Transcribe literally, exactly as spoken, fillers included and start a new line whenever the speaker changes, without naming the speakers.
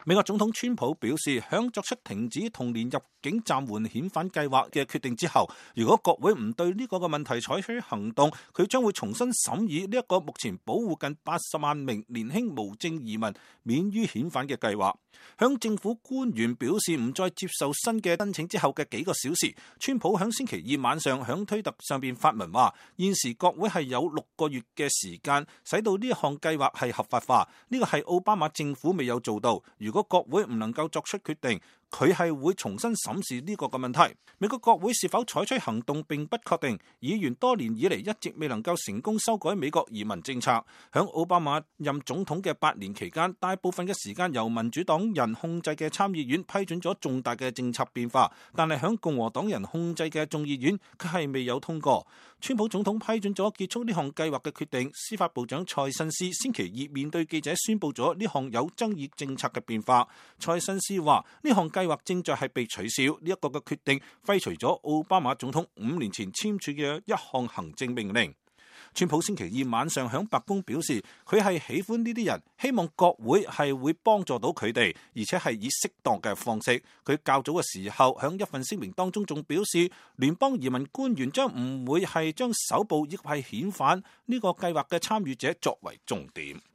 美國總統川普表示，響作出停止同年入境暫緩遣返計劃嘅決定之後，如果國會唔對呢個嘅問題採取行動，佢將會重新審議呢一個目前保護近八十萬名年輕無證移民免於遣返嘅計劃。響政府官員表示唔再接受新嘅申請之後嘅幾個小時，川普響星期二晚上響推特上邊發文話，現時國會係有六個月嘅時間使到呢一項計劃係合法化，呢個係奧巴馬政府未有做到。如果國會唔能夠作出決定，佢係會重新審視呢個嘅問題。美國國會是否採取行動並不確定，議員多年以嚟一直未能夠成功修改美國移民政策。響奧巴馬任總統嘅八年期間，大部分嘅時間由民主黨人控制嘅參議院批准咗重大嘅政策變化，但係響共和黨人控制嘅眾議院佢係未有通過。川普總統批准咗結束呢項計劃嘅決定，司法部長蔡新斯星期二面對記者宣布咗呢項有爭議政策嘅變化。蔡新斯話呢項計劃正在係被取消，呢一個嘅決定廢除咗奧巴馬總統五年前簽署嘅一項行政命令。川普星期二晚上響白宮表示，佢係喜歡呢啲人，希望國會係會幫助到佢哋，而且係以適當嘅方式。佢較早嘅時候響一份聲明當中仲表示，聯邦移民官員將唔會係將搜捕亦係遣返呢個計劃嘅參與者作為重點。